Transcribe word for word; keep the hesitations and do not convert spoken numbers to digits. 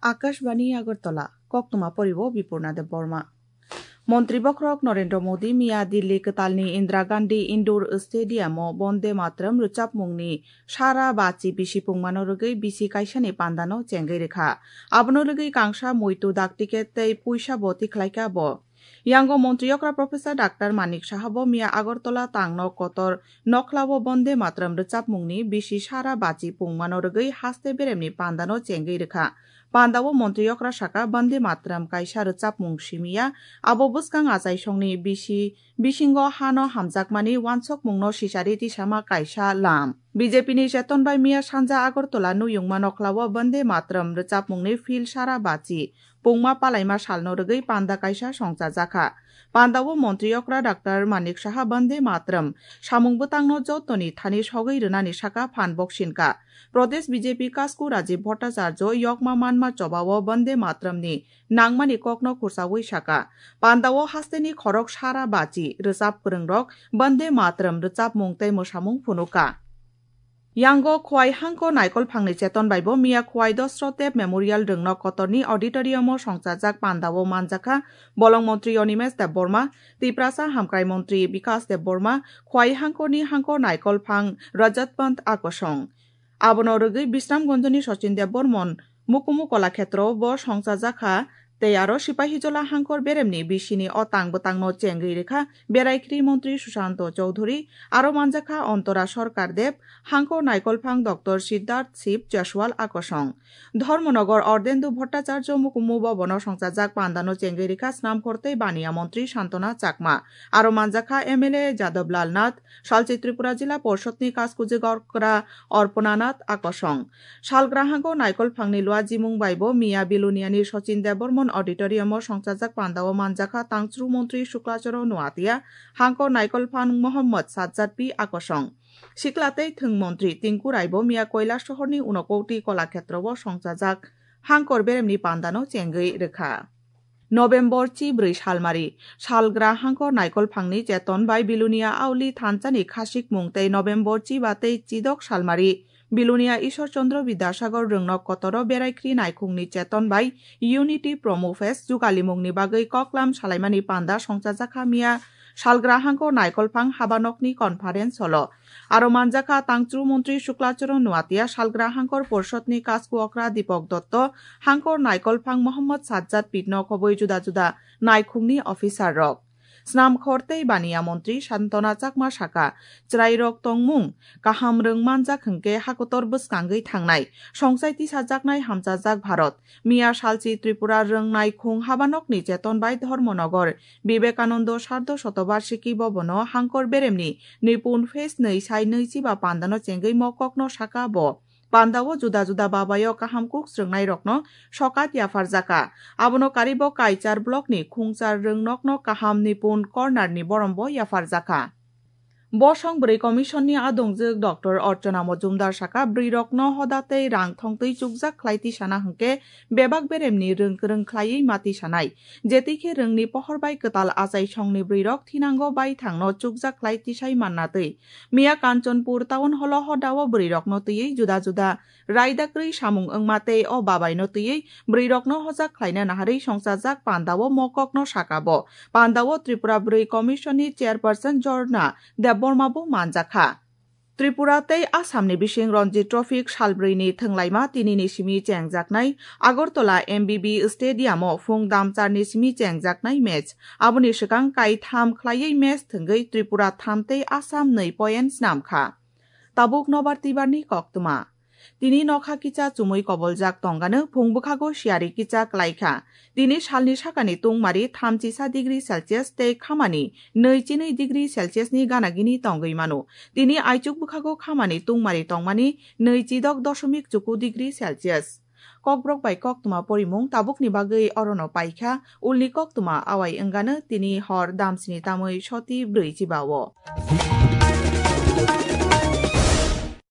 Akashbani Agartala, koktwma poribo Bipurna Debbarma. Montri bokhorok Narendra Modi miya Delhi kwtalni Indira Gandhi Indoor Stadium-o Bonde Mataram rwchapmungni sara bachi bisi pungmano rwgwi bisi kaisani pandano chengwi rwkha. Abono rwgwi kangsa muitu dak ticket tei puisa bo tikhlaikha bo. Yango Montri Okra Professor Doctor Manik Saha bo miya Agartala tangno kotor nokhlao Bonde Mataram rwchapmungni bisi sara bachi pungmano rwgwi haste beremni pandano chengwi rwkha. Pandao Montri Okra saka Bonde Mataram kaisa rwchapmung simiya, abo bwskang achaisongni bisi bisingo hano hamjakmani wansokmungno sisari tisama kaisa lam. B J P ni cheton bai miya sanja Agartala nuyungma nokhlao Bonde Mataram rwchapmungni field sara bachi pungma palaima salno rwgwi panda kaisa songchajakha. Pandao Montri Okra Doctor Manik Saha Bonde Mataram samung bwtangno jotoni thani sogwi rwnani saka phan boksinka. Pradesh B J P kasku Rajiv Bhattacharya yokma manma chobao Bonde Mataramni nangmani kokno khursawi saka. Pandao hasteni khorok sara bachi rwchap kwrwngrok Bonde Mataram rwchapmung tei mwsamung phunuka. Yango Khwai Hangko Naikolphangni cheton baibo miya Khwai Dosro Deb Memorial Rwngnok Kotorni auditorium-o songchajak pandao manjakha Bolong Montri Animesh Debbarma, Tiprasa Hamkrai Montri Bikas Debbarma, Khwai Hangkoni Hangko Naikolphang Rajat Pant Akosong. Abono rwgwi Bisramganjni Sachin Debbarman Mukumu Kolakhetrobo songchajakha, tei aro Sipahijola Hangkor beremni bisini o tang bwtangno chengwi rwkha Beraikhri Montri Sushanto Chowdhury, aro manjakha Antora Sarkar Deb, Hangkor Naikolphang Doctor Siddharth Shiv Jaswal Akosong. Dharmanagar Ardhendu Bhattacharya Mukumu Bhabono songchajak pandano chengwi rwkha Snamkhor tei Baniya Montri Santona Chakma, aro manjakha M L A Jadab Lal Nath, Salchi Tripura Jila Porshotni Kaskujwk Okra Arpana Nath Akosong. Salgrahango Naikolphangni Luajimung baibo miya Biluniani Sachin Debbarman Auditorium-o songchajak pandao manjakha Tangchru Montri Suklacharan Nuatia, Hangkor Naikolphang Mohammad Sajjad P Akosong. Sikla tei Thwng Montri Tinku Raibo miya Kailasohorni Unakoti Kolakhetrobo songchajak Hangkor beremni pandano chengwi rwkha. November chi bwrwi salmari, salgra Hangkor Naikolphangni cheton bai Bilunia Auli thansani khasikmung tei November chi ba tei chidok salmari, Bilunia Ishwar Chandra Bidyasagar Rwngnok Kotoro Beraikhri Naikhungni cheton bai Unity Promo Fest jugalimungni bagwi koklam salaimani panda songchajakha miya salgra Hangkor Naikolphang habanokni conference hall-o. Aro manjakha Tangchru Montri Suklacharan Nuatia, salgra Hangkor Porshotni Kasku Okra Dipok Dotto, Hangkor Naikolphang Mohammad Sajjad Pitno khobwi juda juda naikhungni officer rok. Snamkhor tei Baniya Montri Santona Chakma saka, chwrairok tongmung kaham rwng manjak hwnkhe hakotor bwskangwi thangnai, songchai tisajaknai hamchajak Bharat. Miya salchi Tripura rwngnai khung habanokni cheton bai Dharmanagar Vivekananda Sardha Shatabarshiki Bhabono Hangkor beremni Nipun Fest nwi sai nwi chiba pandano chengwi mokokno saka bo. Pandao juda juda babayo kaham kuk srwngnairokno sokat yapharjakha. Abono karibo Kaichar blockni khungchar rwngnokno kaham Nipun Cornerni borombo yapharjakha. Bosong bwrwi Commission-ni adongjwk Doctor Archana Mojumdar saka, bwrwirokno hoda tei rang thongtwi chukjak khlai tisana hwnkhe bebak beremni rwng kwrwng khlaiwi ma tisanai. Jetwi khe rwngni pohor bai kwtal achaisongni bwrwirok thinango baithangno chukjak khlai tisai manna twi. Miya Kanchanpur Town Hall-o hodao bwrwirokno twiwi juda juda raida kwrwi samung wngma tei o babaino twiwi bwrwirokno hojak khlaina naharwi songchajak pandao mokokno saka bo. Pandao Tripura Bwrwi Commission-ni Chairperson Jorna Debbarma bo manjakha. Tripura tei Assamni bising Ranji Trophy salbrwini thwnglaima tinini simi chengjaknai Agartala M B B Stadium-o phung damcharni simi chengjaknai match. Aboni swkang kaitham khlaiwi match thwngwi Tripura tham tei Assam nwi point snamkha. Tabuk nobar tibarni koktwma. Tini nokha kicha chumui koboljak tongano phung bwkhago siyari kicha klaikha. Tini salni sakani tungmari thamchisa degree Celsius tei khamani nwi chinwi degree Celsius ni gana gini tongwi mano. Tini aichuk bwkhago khamani tungmari tongmani nwi chidok dosomik chuku degree Celsius. Kokborok bai koktwma porimung tabukni bagwi orono paikha, ulni koktwma awai wngano tini hor damsini tamwi soti brwi chibao.